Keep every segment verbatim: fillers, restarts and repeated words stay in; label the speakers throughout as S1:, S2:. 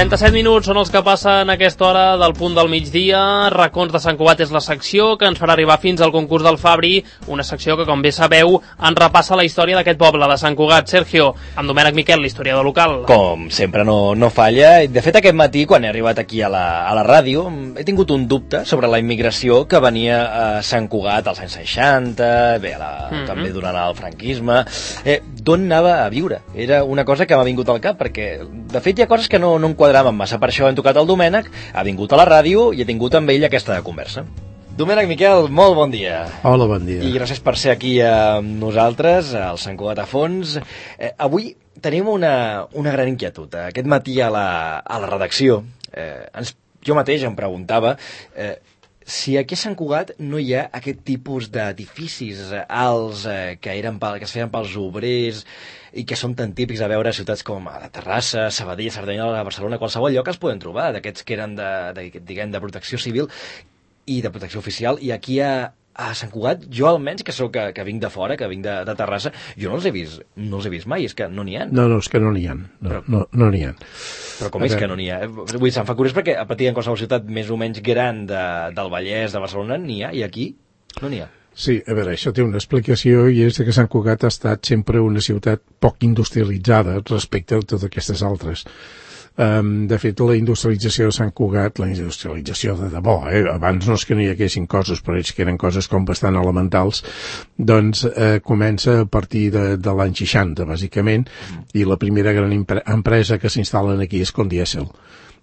S1: trenta-set minuts són els que passen a aquesta hora del punt del migdia. Racons de Sant Cugat és la secció que ens farà arribar fins al concurs del Fabri, una secció que, com bé sabeu, ens repassa la història d'aquest poble de Sant Cugat. Sergio, amb Domènec Miquel, l'historiador local.
S2: Com sempre no, no falla. De fet, aquest matí, quan he arribat aquí a la, a la ràdio, he tingut un dubte sobre la immigració que venia a Sant Cugat als anys seixanta, bé, la, mm-hmm. també durant el franquisme. Eh, d'on anava a viure? Era una cosa que m'ha vingut al cap, perquè, de fet, hi ha coses que no, no em quadraven massa. Per això hem tocat el Domènec, ha vingut a la ràdio i he tingut amb ell aquesta conversa. Domènec Miquel, molt bon dia.
S3: Hola, bon dia.
S2: I gràcies per ser aquí amb nosaltres, al Sant Cugat a fons. Eh, avui tenim una, una gran inquietud. Aquest matí a la, a la redacció, eh, ens, jo mateix em preguntava eh, si aquí a Sant Cugat no hi ha aquest tipus d'edificis alts eh, que, eren pel, que es feien pels obrers i que són tan típics a veure a ciutats com a Terrassa, Sabadell, Cerdanyola, Barcelona, qualsevol lloc es poden trobar, d'aquests que eren de, de, diguem, de protecció civil i de protecció oficial, i aquí a, a Sant Cugat, jo almenys, que soc que, que vinc de fora, que vinc de, de Terrassa, jo no els he vist, no els he vist mai, és que no n'hi ha.
S3: No, no, és que no n'hi ha, no, però, no, no n'hi ha.
S2: Però com és que no n'hi ha? Vull dir, se'm fa curiós perquè a partir de qualsevol ciutat més o menys gran de, del Vallès, de Barcelona, n'hi ha, i aquí no n'hi ha.
S3: Sí, a veure, això té una explicació i és que Sant Cugat ha estat sempre una ciutat poc industrialitzada respecte a totes aquestes altres. Um, de fet, la industrialització de Sant Cugat, la industrialització de debò, eh? Abans no és que no hi haguessin coses, però és que eren coses com bastant elementals, doncs eh, comença a partir de, de l'any seixanta, bàsicament, i la primera gran empresa que s'instal·len aquí és Condiesel.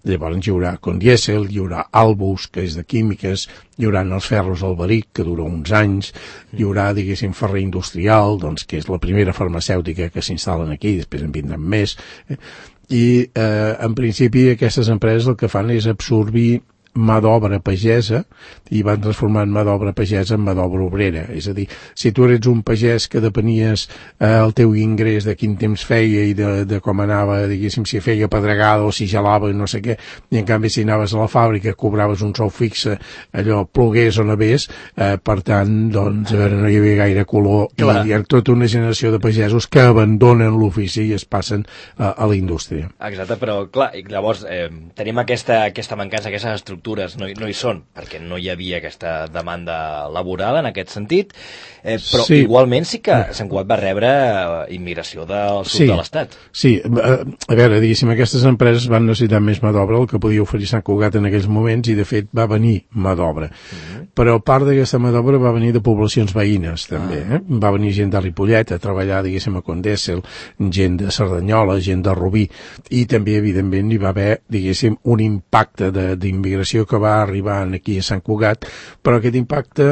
S3: Llavors hi haurà Condiesel, hi haurà Albus, que és de químiques, hi haurà els ferros Alberic, que dura uns anys, hi haurà, diguéssim, Ferrer Industrial, doncs, que és la primera farmacèutica que s'instal·len aquí, després en vindran més, eh? I eh, en principi aquestes empreses el que fan és absorbir mà d'obra pagesa i van transformant mà d'obra pagesa en mà d'obra obrera. És a dir, si tu eres un pagès que depenies eh, el teu ingrés de quin temps feia i de, de com anava, diguéssim, si feia pedregada o si gelava i no sé què, i en canvi si anaves a la fàbrica cobraves un sou fixe, allò plogués o nevés, eh, per tant, doncs, a veure, no hi havia gaire color. Clar. I hi ha tota una generació de pagesos que abandonen l'ofici i es passen eh, a la indústria.
S2: Exacte, però clar, i llavors eh, tenim aquesta, aquesta mancança, aquestes estructures no hi, no hi són, perquè no hi havia aquesta demanda laboral en aquest sentit, eh, però sí. Igualment sí que Sant Cugat va rebre immigració del sud sí. de l'Estat.
S3: Sí, a, a veure, diguéssim, aquestes empreses van necessitar més mà d'obra, el que podia oferir Sant Cugat en aquells moments, i de fet va venir mà d'obra. Mm-hmm. Però part d'aquesta mà d'obra va venir de poblacions veïnes, també. Ah. Eh? Va venir gent de Ripollet a treballar, diguéssim, a Condèssel, gent de Cerdanyola, gent de Rubí, i també, evidentment, hi va haver, diguéssim, un impacte d'immigració que va arribar aquí a Sant Cugat, però aquest impacte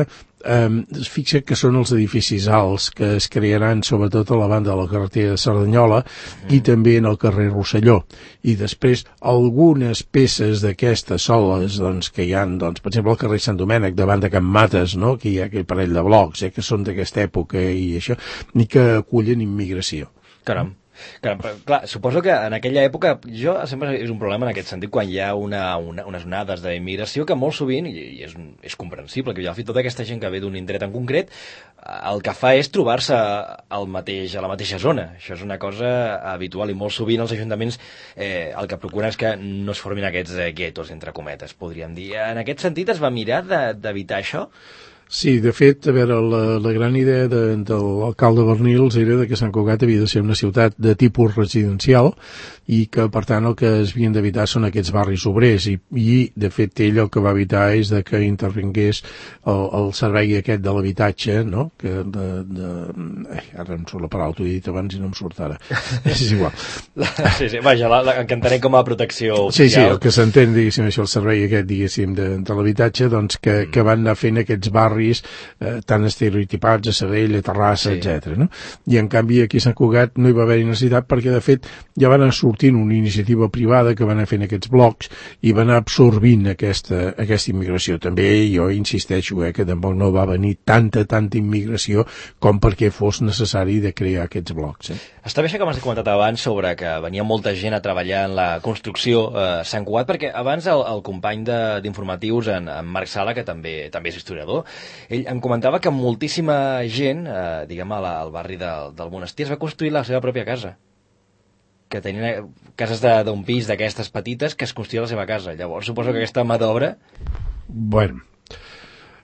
S3: eh, es fixa que són els edificis alts que es crearan sobretot a la banda de la carretera de Cerdanyola mm. i també en el carrer Rosselló, i després algunes peces d'aquestes soles doncs, que hi ha, doncs, per exemple, al carrer Sant Domènec davant de Can Mates, no? Que hi ha aquell parell de blocs eh, que són d'aquesta època i això, i que acullen immigració.
S2: Caram. Clar, clar, suposo que en aquella època, jo sempre és un problema en aquest sentit, quan hi ha una, una, unes onades d'immigració que molt sovint, i és, és comprensible, que al fi tota aquesta gent que ve d'un indret en concret, el que fa és trobar-se al mateix, a la mateixa zona. Això és una cosa habitual i molt sovint els ajuntaments eh, el que procuren és que no es formin aquests eh, guetos, entre cometes, podríem dir. En aquest sentit es va mirar d'evitar això?
S3: Sí, de fet, a veure, la, la gran idea de, de l'alcalde Bernils era de que Sant Cugat havia de ser una ciutat de tipus residencial i que, per tant, el que es havien d'evitar són aquests barris obrers i, i, de fet, ell el que va evitar és de que intervingués el, el servei aquest de l'habitatge, no?, que de... de eh, ara em surt la paraula, t'ho he dit abans i no em surt ara. És igual.
S2: Sí, sí, vaja, la, la, que entenem com a protecció oficial.
S3: Sí, sí, el que s'entén, diguéssim, això, el servei aquest, diguéssim, de, de l'habitatge, doncs, que, mm. que van anar fent aquests barris eh, tan estereotipats a Sabadell, a Terrassa, sí. etcètera. No? I en canvi aquí a Sant Cugat no hi va haver necessitat perquè de fet ja van anar sortint una iniciativa privada que va anar fent aquests blocs i va anar absorbint aquesta, aquesta immigració. També jo insisteixo eh, que tampoc no va venir tanta, tanta immigració com perquè fos necessari de crear aquests blocs. Eh?
S2: Està bé això que m'has comentat abans sobre que venia molta gent a treballar en la construcció a eh, Sant Cugat, perquè abans el, el company d'informatius, en, en Marc Sala, que també també és historiador, ell em comentava que moltíssima gent, eh, diguem, al, al barri del, del Monestir, es va construir la seva pròpia casa. que tenien cases d'un pis d'aquestes petites que es construïa la seva casa. Llavors, suposo que aquesta mà d'obra...
S3: Bueno,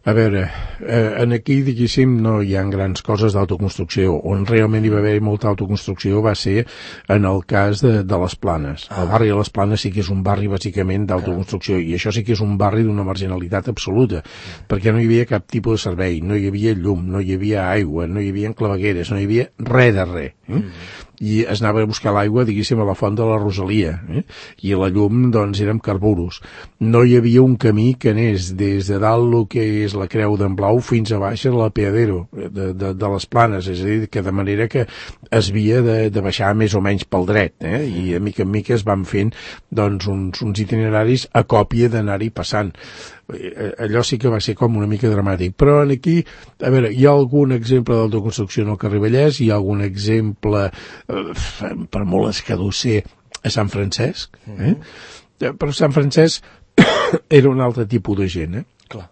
S3: a veure, eh, en aquí, diguéssim, no hi ha grans coses d'autoconstrucció. On realment hi va haver molta autoconstrucció va ser en el cas de, de les Planes. Ah. El barri de les Planes sí que és un barri, bàsicament, d'autoconstrucció, i això sí que és un barri d'una marginalitat absoluta, mm. perquè no hi havia cap tipus de servei, no hi havia llum, no hi havia aigua, no hi havia clavegueres, no hi havia res de res. Eh? Mm. I es anava a buscar l'aigua, diguéssim, a la font de la Rosalia, eh? I la llum, doncs, eren carburos. No hi havia un camí que anés des de dalt el que és la Creu d'en Blau fins a baix a l'Apeadero de, de, de les Planes, és a dir, que de manera que es havia de, de baixar més o menys pel dret, eh? I a mica en mica es van fent, doncs, uns, uns itineraris a còpia d'anar-hi passant. Allò sí que va ser com una mica dramàtic, però aquí, a veure, hi ha algun exemple d'autoconstrucció en el carrer Vallès, hi ha algun exemple, eh, per molt escadusser, a Sant Francesc, eh? Mm-hmm. Però Sant Francesc era un altre tipus de gent, eh?
S2: Clar,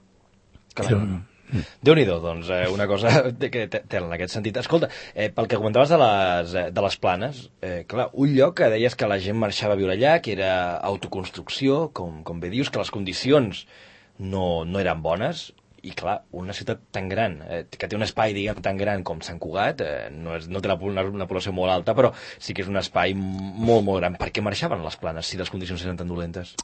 S2: clar. Era... Déu-n'hi-do, doncs, eh, una cosa que té en aquest sentit. Escolta, eh, pel que comentaves de les, de les Planes, eh, clar, un lloc que deies que la gent marxava a viure allà, que era autoconstrucció, com, com bé dius, que les condicions no, no eren bones, i clar, una ciutat tan gran, eh, que té un espai, diguem, tan gran com Sant Cugat, eh, no, és, no té una, una població molt alta, però sí que és un espai molt, molt gran. Per què marxaven les Planes si les condicions eren tan dolentes?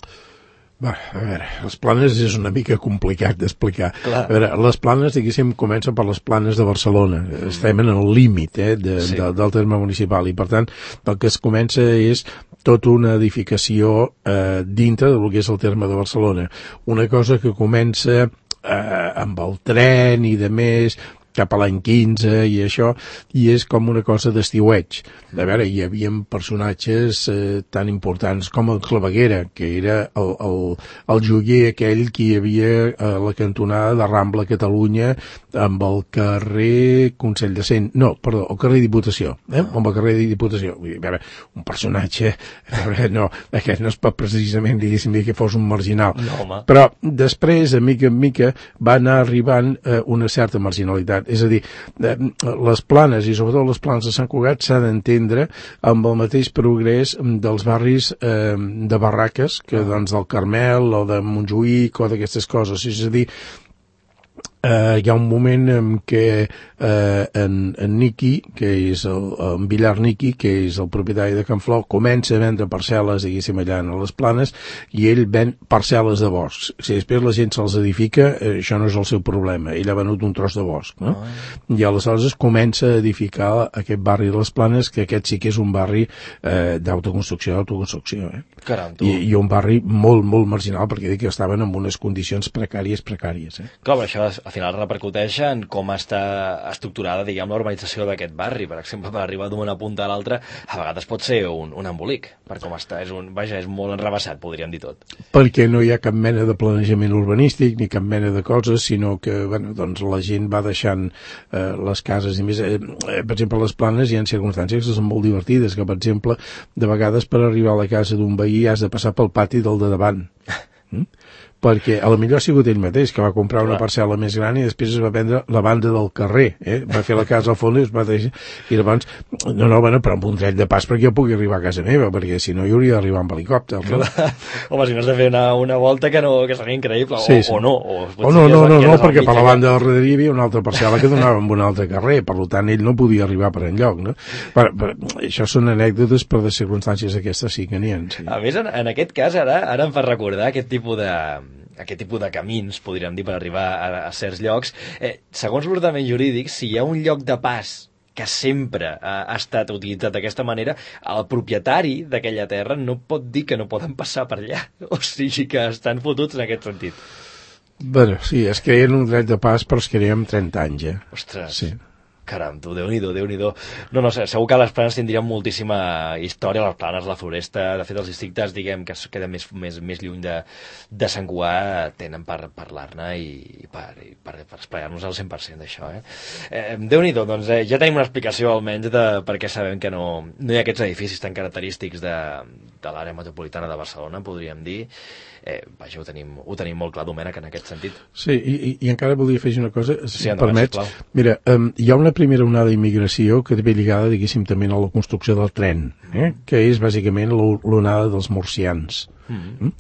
S3: Va, a veure, les Planes és una mica complicat d'explicar. A veure, les Planes, diguéssim, comencen per les Planes de Barcelona. Mm. Estem en el límit eh, de, sí. de, del terme municipal i, per tant, el que es comença és tota una edificació eh, dintre del que és el terme de Barcelona. Una cosa que comença eh, amb el tren i de més, cap a l'any quinze i això, i és com una cosa d'estiueig. A veure, hi havia personatges eh, tan importants com el Claveguera, que era el, el, el joier aquell que hi havia a la cantonada de Rambla Catalunya amb el carrer Consell de Cent, no, perdó, el carrer Diputació, eh? amb el carrer de Diputació. A veure, un personatge, a veure, no, aquest no es pot precisament, diguéssim, dir que fos un marginal.
S2: No,
S3: però després, a mica en mica, va anar arribant eh, una certa marginalitat. És a dir, eh, les Planes, i sobretot les Planes de Sant Cugat, s'ha d'entendre amb el mateix progrés dels barris eh, de barraques, que doncs del Carmel o de Montjuïc o d'aquestes coses. És a dir, Uh, hi ha un moment en què uh, en, en Niqui, que és el, en Villar Niqui, que és el propietari de Can Flor, comença a vendre parcel·les, diguéssim, allà a les Planes, i ell ven parcel·les de bosc. Si després la gent se'ls edifica, eh, això no és el seu problema. Ell ha venut un tros de bosc, no? Oh. I aleshores comença a edificar aquest barri de les Planes, que aquest sí que és un barri eh, d'autoconstrucció, d'autoconstrucció, eh?
S2: Caram, tu.
S3: I, I un barri molt, molt marginal, perquè dic que estaven en unes condicions precàries, precàries, eh?
S2: Clar, però això al final repercuteix en com està estructurada, diguem, l'urbanització d'aquest barri. Per exemple, per arribar d'una punta a l'altra, a vegades pot ser un, un embolic, per com està. És un, vaja, és molt enrevessat, podríem dir tot.
S3: Perquè no hi ha cap mena de planejament urbanístic, ni cap mena de coses, sinó que, bueno, doncs la gent va deixant eh, les cases, i més, eh, per exemple, a les Planes hi ha circumstàncies que són molt divertides, que, per exemple, de vegades per arribar a la casa d'un veí has de passar pel pati del de davant. Mm? Perquè a la millor ha sigut ell mateix, que va comprar una parcel·la més gran i després es va vendre la banda del carrer, eh? Va fer la casa al fons i es va deixar, i llavors, no, no, bueno, però amb un dret de pas perquè jo pugui arribar a casa meva, perquè si no hi hauria d'arribar amb helicòpter. No?
S2: Home, si no has de fer una, una volta que, no, que seria increïble,
S3: sí,
S2: o,
S3: sí.
S2: o no. O,
S3: o no, no, no, no perquè per la banda del darrere hi havia una altra parcel·la que donava amb un altre carrer, per tant ell no podia arribar per enlloc, no? Per, per, això són anècdotes, però de circumstàncies aquestes sí que n'hi ha. Sí.
S2: A més, en, en aquest cas, ara, ara em fa recordar aquest tipus de aquest tipus de camins, podríem dir, per arribar a, a certs llocs. Eh, segons l'ordenament jurídic, si hi ha un lloc de pas que sempre ha, ha estat utilitzat d'aquesta manera, el propietari d'aquella terra no pot dir que no poden passar per allà. O sigui que estan fotuts en aquest sentit.
S3: Bé, sí, es creien un dret de pas, però es creien amb trenta anys, eh?
S2: Ostres.
S3: Sí.
S2: Caram, tu, Déu-n'hi-do, Déu-n'hi-do. No, no sé, segur que les Planes tindrien moltíssima història, les Planes, la Floresta, de fet els districtes, diguem, que es queden més, més, més lluny de, de Sant Cugat, tenen per parlar-ne i, i per, i per, per esplaiar-nos al cent per cent d'això, eh? eh Déu-n'hi-do, doncs eh, ja tenim una explicació almenys de per què sabem que no, no hi ha aquests edificis tan característics de, de l'àrea metropolitana de Barcelona, podríem dir. Eh, vaja, ho tenim, ho tenim molt clar, Domènec, en aquest sentit.
S3: Sí, i, i encara volia afegir una cosa, si
S2: sí,
S3: em permets. Mira, um, hi ha una primera onada d'immigració que ve lligada, diguéssim, també a la construcció del tren, eh? que és bàsicament l'onada dels murcians. Mm.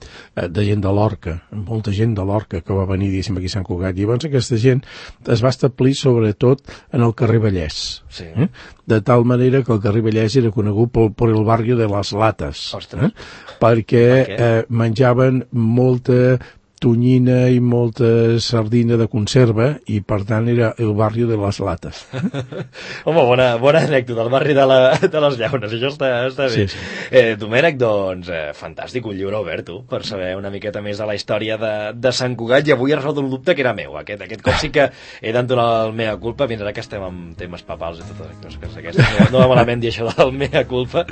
S3: de gent de Lorca, molta gent de Lorca que va venir, diguéssim, aquí a Sant Cugat. I llavors aquesta gent es va establir sobretot en el carrer Vallès,
S2: sí.
S3: eh? de tal manera que el carrer Vallès era conegut per, per el barri de les Lates, eh? perquè eh, menjaven molta tonyina i molta sardina de conserva i per tant era el barri de les Lates.
S2: Home, bona, bona anècdota, el barri de, la, de les Llaunes, això està, està bé. Sí, sí. Eh, Domènec, doncs, eh, fantàstic, un llibre obert, tu, per saber una miqueta més de la història de, de Sant Cugat, i avui he resolt un dubte que era meu. Aquest, aquest cop sí que he d'entonar el mea culpa, fins ara que estem amb temes papals i totes les coses aquestes. No, no va malament dir això del mea culpa.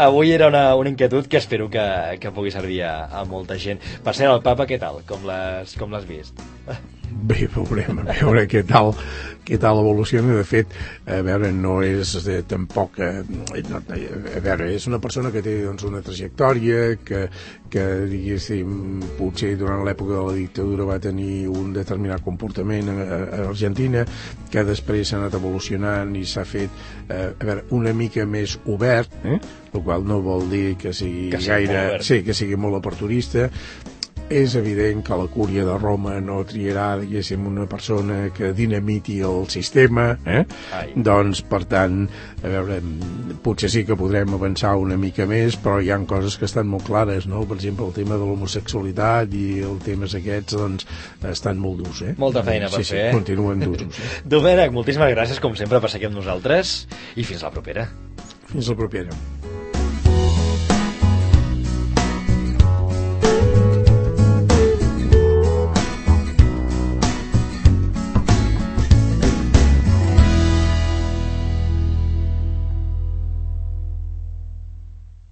S2: Avui era una, una inquietud que espero que, que pugui servir a, a molta gent. Per ser el papa, què tal? Com l'has, com l'has vist?
S3: Bé, veurem, a veure què tal, què tal evoluciona. De fet, a veure, no és de, tampoc... Eh, no, a veure, és una persona que té doncs, una trajectòria, que, que diguéssim, potser durant l'època de la dictadura va tenir un determinat comportament a, a Argentina, que després s'ha anat evolucionant i s'ha fet, eh, a veure, una mica més obert, eh? el qual no vol dir que sigui
S2: que sigui
S3: gaire... Sí, que sigui molt aperturista. És evident que la cúria de Roma no triarà, diguéssim, una persona que dinamiti el sistema, eh? Doncs, per tant, a veure, potser sí que podrem avançar una mica més, però hi ha coses que estan molt clares, no? Per exemple, el tema de l'homosexualitat i els temes aquests, doncs, estan molt durs, eh?
S2: Molta feina per
S3: sí,
S2: fer,
S3: sí,
S2: eh?
S3: Continuen durs. Eh?
S2: Domènec, moltíssimes gràcies, com sempre, per ser aquí amb nosaltres, i fins la propera.
S3: Fins la propera.